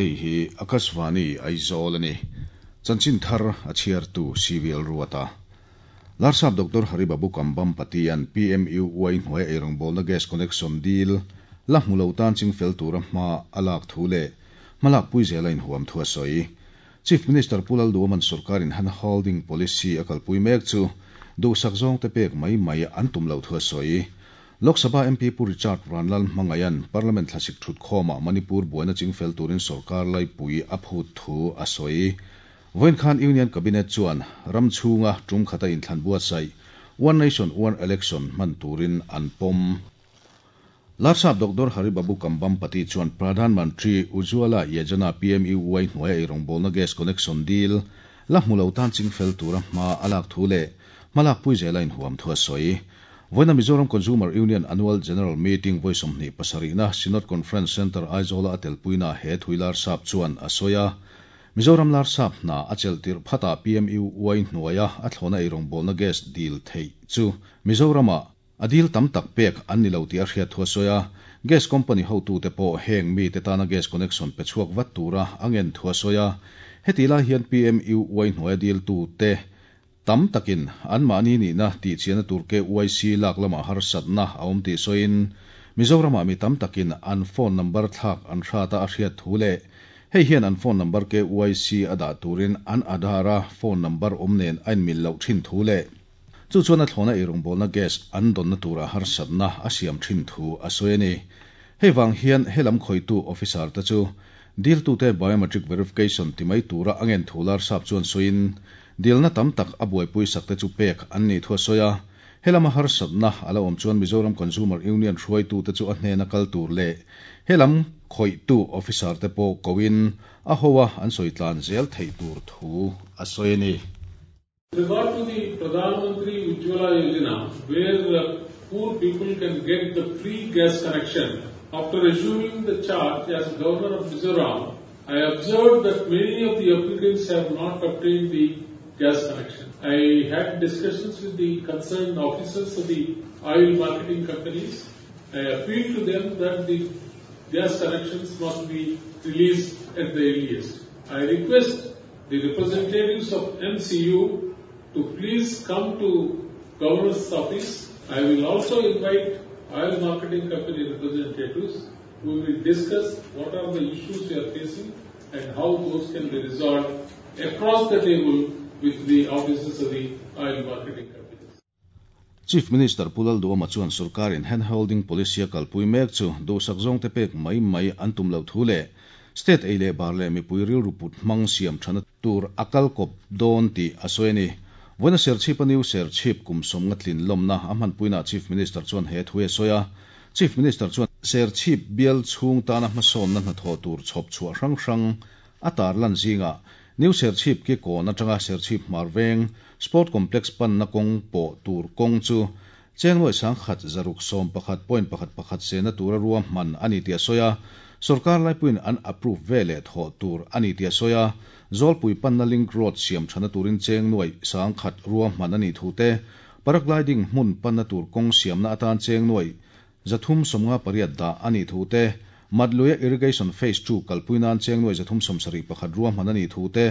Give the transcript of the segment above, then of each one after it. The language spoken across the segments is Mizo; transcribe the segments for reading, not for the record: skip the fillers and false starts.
Hei hi Akashvani Aizawl a ni. Chanchin thar a chhiartu CVL Ruata. Larsap Doctor Haribabu Kambhampati-a'n PMUY hnuaia eirawngbawlna gas connection dil la hmu lo tan chingfel tura hma a lak thu leh hmalakpui zela inhuam thu a sawi. Chief Minister Pu Lalduaman sorkarin hand holding policy a kalpui mek chu duhsak zawngte pek mai mai an tum loh thu a sawi. Lok Sabha MP Pu Richard Vanlal Hmangaiha'n Parliament thlasik thutkhawmah Manipur buaina chingfel turin sorkar laipui a phut thu a sawi. Vawiin khan Union Cabinet chuan ram chhunga tum khata inthlan buatsaih One Nation One Election hman turin an pawm. Larsap Doctor Hari Babu Kambhampati chuan Pradhan Mantri Ujjwala Yojana, PMUY, hnuaia eirawngbawlna gas connection deal la hmu lo tan chingfel tura hma a lak thu leh hmalakpui zela inhuam thu a sawi. Vawiina Mizoram Consumer Union Annual General Meeting vawi 27na Synod Conference Centre Aizawla a telpuina he thui Larsap chuan a sawi a. Mizoram Larsap hna a chelh tirh phatah PMUY hnuaia a thlawhna eirawngbawlna gas dil theih chu Mizoramah a dil tam tak pek an ni lo tih a hriat thu a sawi a. Gas company hotute pawh heng mite tana gas connection pe chhuak vat tura a ngen thu a sawi a. Hetih lai hian PMUY hnuaia diltute Tam takin anmahni nihna tihchiahna tur KYC lak lamah harsatna a awm tih sawiin, Mizoramah mi tam takin an phone number thlak an hrat a a hriat thu leh hei hian an phone number KYC a dah turin an Aadhaar-a phone number awm nen a inmil loh thin thu leh chu chuan a thlawna eirawngbawlna gas an dawnna turah harsatna a siam thin thu a sawi a ni. Hei vang hian helam khawitu officer te chu diltute biometric verification ti mai tura a ngen thu Larsap chuan sawiin, Dilna tam tak a buaipui sakte chu pek an nih thu a sawi a, helama harsatna a la awm chuan Mizoram Consumer Union hruaitute chu a hnena kal tur leh helam khawihtu officer te pawh koin a ho a an sawi tlan zel theih tur thu a sawi a ni. With regard to the Pradhan Mantri Ujjwala Yojana where poor people can get the free gas connection, after assuming the charge as Governor of Mizoram, I observed that many of the applicants have not obtained the gas connection. I had discussions with the concerned officers of the oil marketing companies. I appealed to them that the gas connections must be released at the earliest. I request the representatives of MCU to please come to Governor's office. I will also invite oil marketing company representatives. We will discuss what are the issues we are facing and how those can be resolved across the table with the officers of the oil marketing companies. Chief Minister Pu Lalduama chuan sorkarin hand holding policy a kalpui mek chu duhsak zawngte pek mai mai an tum loh thu leh state ei leh bar leh mipui rilru put hmang siam thana tur a kal kawp dawn tih a sawi a ni. Vawiina Serchhip a New Serchhip kum sawmnga tlin lawmna a hmanpuinaah Chief Minister chuan he thu a sawi a. Chief Minister chuan Serchhip bial chhung tana hmasawnna hnathawh tur chhawp chhuah hrang hrang a tarlan zingah New Serchhip ki kawn atanga Serchhip hmar veng Sport Complex panna kawng pawh tur kawng chu Chengnuai sangkhat zaruk sawm pakhat point pakhat pakhat sehna tura ruahman a ni tih a sawi a, sorkar laipuiin an approve ve leh thawh tur a ni tih a sawi a, Zawlpui panna link road siam thana turin Chengnuai sangkhat ruahman a nih thu te, Paragliding hmun panna tur kawng siamna atan Chengnuai 358 dah a nih thu te, Matluia Irrigation Phase Two kalpui nan Chengnuai 371 ruahman a nih thu te,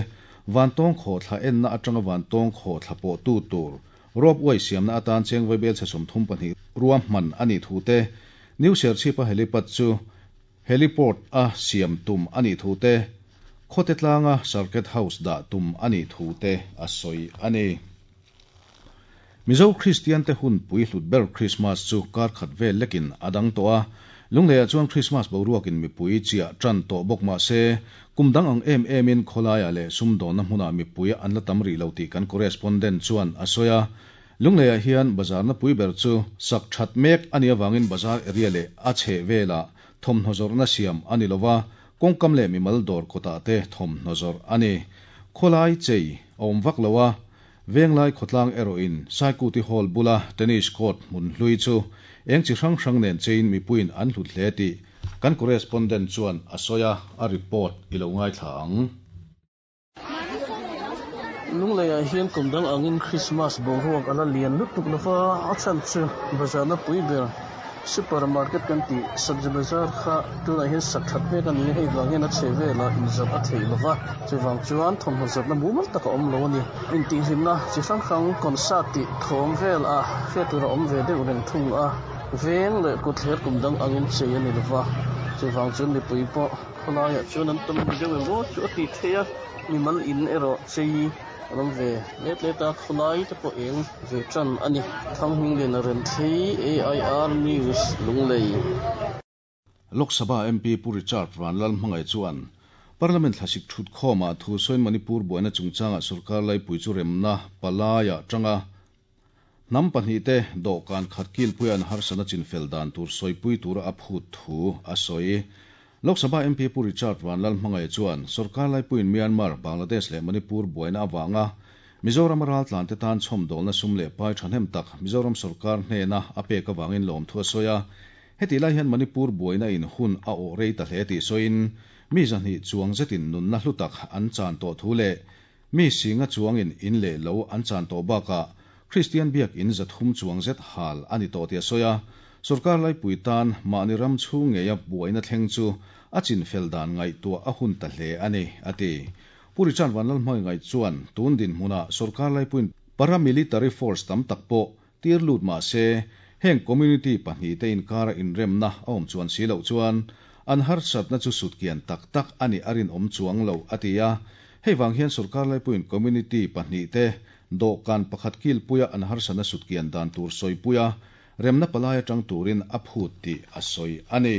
Vantawng khawhthla enna atanga Vantawng khawhthla pawhtu tur Rope way siamna atan cheng vaibel chhe 32 ruahman a nih thu te, New Serchhip-a helipad chu heliport a siam tum a nih thu te, Khawte tlanga Circuit House dah tum a nih thu te a sawi a ni. Mizo Kristian te hun pui hlut ber Krismas chu kar khat vel lekin a dang tawh a, Lungleiah chuan Krismas boruakin mipui chiah tan tawh bawk mah se, kum dang ang em emin khawlaiah leh sumdawnna hmunah mipui an la tam rih lo tih kan correspondent chuan a sawi a. Lungleiah hian bazarna pui ber chu sak that mek a nih avangin bazar area leh a chheh velah thawmhnaw zawrhna siam a ni lova, kawngkam leh mimal dawr kawtah te thawmhnaw zawrh a ni. Khawlai chei a awm vak lo a, Venglai khawtlang erawhin Saikuti Hall bula tennis court hmun hlui chu eng chi hrang hrang nen chein mipuiin an hlut hle tih kan correspondent chuan a sawi a, a report i lo ngaithla ang. Lungleiah hian kum dang angin Krismas boruak a la lian lutuk lova, a chhan chu bazarna pui ber. Super market kan tih Sabzi Bazar kha tunah hian sak that mek a ni a, hei vang hian a chhe velah inzawrh a theih lova, chuvang chuan thawmhnaw zawrhna mumal tak a awm lo a ni. Intihhlimna chi hrang hrang concert tih thawm vel a hriat tur a awm ve deuh reng thung a, veng leh kutthler kum dang angin chei a ni lova, chuvang chuan mipui pawh khawlaiah chuan an tam deuh em aw chu a tih theih a, mimal in erawh chei An awm ve let let a, khawlai te pawh eng ve tan a ni. Thanghminglian a rem thei, AIR News, Lunglei. Lok Sabha MP Pu Richard Vanlalhmangaih chuan Parliament thlasik thut khawmah thu sawiin Manipur buaina chungchangah sorkar laipui chu remna palaiah tanga hnam pahnihte dawhkan khat kilpuia an harsatna chinfel dan tur sawipui tura a phut thu a sawi. Lok Sabha MP Pu Richard Vanlalhmangaih chuan sorkar laipuiin Myanmar, Bangladesh leh Manipur buaina avanga Mizoram a raltlante tan chhawmdawlna sum leh pai thahnem tak Mizoram sorkar hnena a pek avangin lawmthu a sawi a. Hetih lai hian Manipur buaina in hun a awh rei ta hle tih sawiin mi 200 chuang zetin nunna hlu tak an chan tawh thu leh Mi singa chuangin in leh lo an chan tawh bakah Kristian biak in 300 chuang zet hal a ni tawh tih a sawi a. Sorkar laipui tan mahni ram chhung ngeia buaina thleng chu a chinfel dan ngaihtuah a hun ta hle a ni, a ti. Pu Richard Vanlalhmangaih chuan tun dinhmunah sorkar laipuiin paramilitary force tam tak pawh tir lut mah se, heng community pahnihte inkara inremna a awm chuan si loh chuan an harsatna chu sutkian tak tak a nih a rinawm chuang lo, a ti a. Hei vang hian sorkar laipuiin community pahnihte dawhkan pakhat kilpuia an harsatna sutkian dan tur sawipuia remna palai atang turin a phut tih a sawi a ni.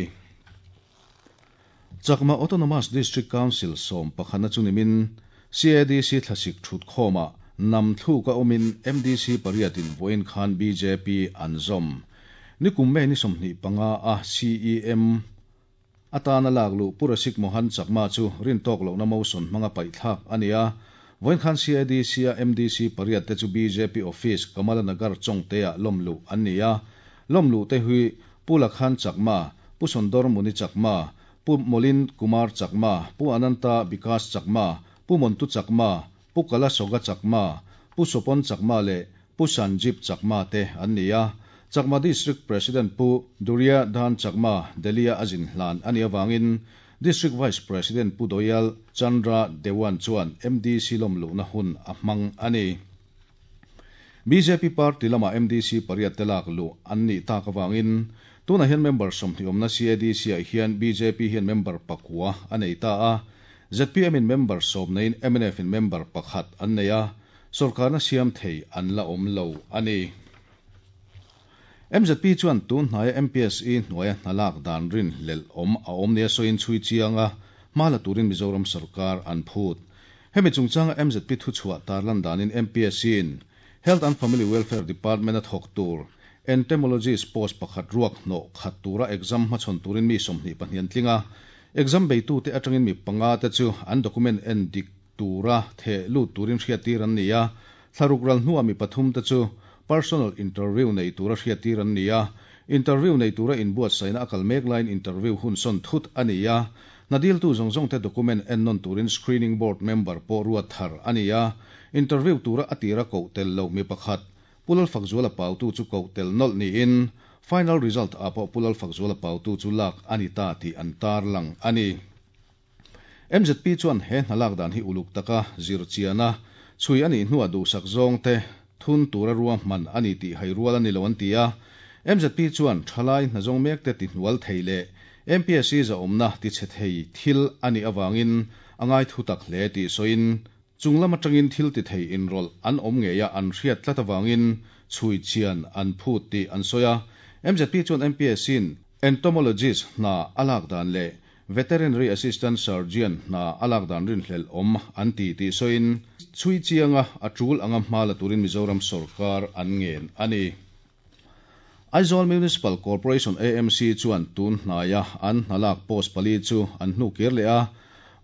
Chakma Autonomous District Council sawm pakhatna chu nimin CADC thlasik thutkhawmah nam thluk a awmin MDC pariatin vawiin khan bjp an zawm. Nikum May ni 25 a CEM atana lak luh Pu Rasik Mohan Chakma chu rintawk lohna motion hmanga paihthlak a ni a. Vawiin khan CADC a MDC pariat te chu bjp office Kamala Nagar Chawngte-ah lawm luh an ni a. Lawm luh te hi Pu Lakhan Chakma, Pu Sondor Muni Chakma, Pu Molin Kumar Chakma, Pu Ananta Bikash Chakma, Pu Montu Chakma, Pu Kala Soga Chakma, Pu Sopon Chakma leh Pu Sanjib Chakma te an ni a. Chakma District President Pu Durya Dhan Chakma Delhi-a a zin hlan a nih avangin District Vice President Pu Doyal Chandra Dewan chuan MDC lawmluhna hun a hmang a ni. Bjp party lamah MDC pariat te lak luh an nih tak avangin tunah hian member 20 awmna CADC-ah hian bjp hian member pakua a nei ta a, zpm in member 10 neiin mnf in member pakhat an nei a, sorkarna siam thei an la awm lo a ni. Mzp chuan tun hnaia MPSE hnuaia hna lak dan rinhlelh awm a awm nia sawiin chhui chiang a, hma la turin Mizoram sorkar an phut. Hemi chungchanga mzp thuchhuah tarlan danin MPSC-in Health and Family Welfare Department-a thawk tur Entomologist post pakhat ruak hnawh khat tura exam hmachhawn turin mi 22 an tling a, exam beitute atangin mi panga te chu an document en dik tura theh lut turin hriattir an ni a, thlaruk ral hnuah mi pathum te chu personal interview nei tura hriattir an ni a, interview nei tura inbuatsaihna a kal mek laiin interview hun sawn thut a ni a, hna diltu zawng zawng te document en nawn turin screening board member pawh ruat thar a ni a, interview tura a tira koh tel loh mi pakhat Pu Lalfakzuala Pautu chu koh tel nawlh niin final result ah pawh Pu Lalfakzuala Pautu chu lak a ni ta tih an tarlang a ni. Mzp chuan he hna lak dan hi uluk taka zir chian a, chhui a nih hnuah duhsak zawng te thun tura ruahman a ni tih hai rual a ni lo an ti a. Mzp chuan thalai hna zawng mek te tihnual thei leh MPSC zahawmna tichhe thei thil a nih avangin a ngai thutak hle tih sawiin chung lam atangin thil ti thei inrawlh an awm ngeia an hriat tlat avangin chhui chian an phut tih an sawi a. Mzp chuan MPSC-in entomologist hna a lak dan leh Veterinary Assistant Surgeon hna a lak dan rinhlelh awm an ti tih sawiin chhui chianga a tul anga hma la turin Mizoram sorkar an ngen a ni. Aizawl Municipal Corporation, AMC, chuan tun hnaia an hna lak post pali chu an hnu kir leh a.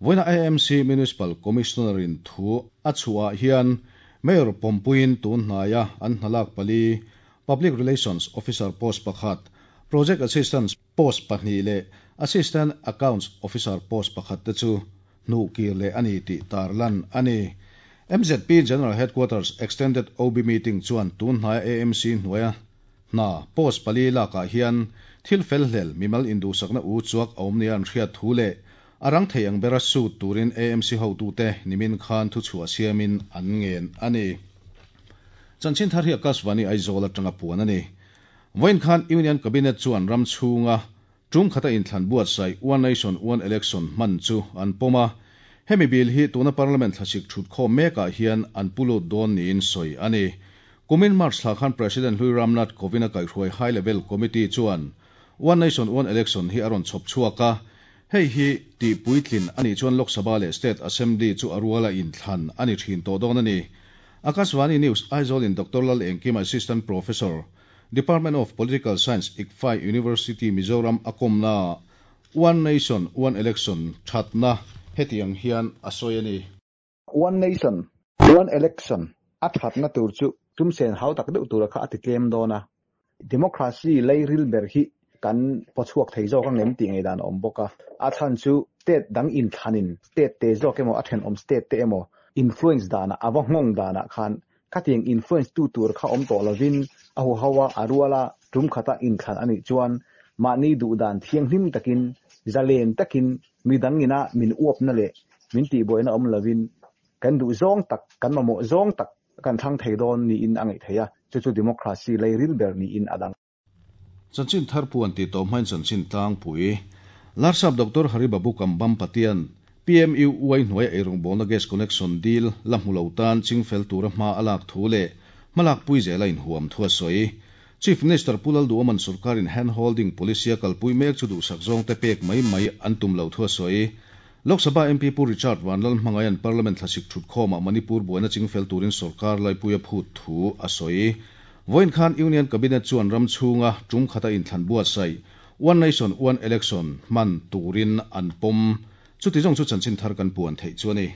Vawiina AMC Municipal Commissioner-in thu a chhuahah hian Mayor pawmpuiin tun hnaia an hna lak pali Public Relations Officer post pakhat, Project Assistant post pahnih leh Assistant Accounts Officer post pakhat te chu hnuh kir leh a ni tih tarlan a ni. Mzp General Headquarters Extended OB Meeting chuan tun hnaia AMC hnuaia Hna, post pali lakah hian thil felhlel, mimal induhsakna u chuak a awm nia an hriat thu leh a rang thei ang bera sut turin AMC hotute nimin khan thuchhuah siamin an ngen a ni. Chanchin thar hi Akashvani Aizawl atanga puan a ni. Vawiin khan Union Cabinet chuan ram chhunga tum khata inthlan buatsaih One Nation One Election hman chu an pawm a. Hemi bill hi tuna Parliament thlasik thutkhawm mekah hian an pu lut dawn niin sawi a ni. Kumin March thla khan President Hlui Ram Nath Kovind a kaihhruai High Level Committee chuan One Nation One Election hi a rawn chhawp chhuak a. Hei hi tih puitlin a nih chuan Lok Sabha leh State Assembly chu a ruala inthlan a ni thin tawh dawn a ni. Akashvani News Aizawl in Doctor Lal Engkima Assistant Professor, Department of Political Science, ICFAI University, Mizoram a kawmna One Nation One Election thatna hetiang hian a sawi a ni. One Nation One Election a thatna tur chu tumsen hau tak deuh tura kha a ti tlem dawn a. Democracy lei ril ber hi kan pawchhuak thei zawk ang em tih ngaihdan a awm bawk a. A chhan chu state dang inthlanin state te zawk emaw a thenawm state te emaw influence danah a va nghawng danah khan khatiang influence tu tur kha awm tawh lovin a huho a, a ruala tum khata inthlan a nih chuan mahni duhdan thianghlim takin zalen takin midang ina min uapna leh min tihbuaina awm lovin kan duh zawng tak, kan mamawh zawng tak kan thlang thei dawn niin a ngaih theih a, chu chu democracy lei ril ber niin a dang. Chanchin thar puan tih tawh hmain chanchin tlangpui Larsap Doctor Hari Babu Kambam Patian PMUY hnuaia eirawngbawlna gas connection deal la hmu lo tan chingfel tura hma a lak thu leh hmalakpui zela inhuam thu a sawi. Chief Minister Pu Lalduaman sorkarin hand holding policy a kalpui mek chu duhsak zawngte pek mai mai an tum lo thu a sawi. Lok Sabha MP Pu Richard Vanlalhmangaian Parliament thlasik thutkhawmah Manipur buaina chingfel turin sorkar laipui a phut thu a sawi. Vawiin khan Union Cabinet chuan ram chhunga tum khata inthlan buatsaih One Nation One Election hman turin an pawm. Chuti zawng chu chanchin thar kan puan theih chu a ni.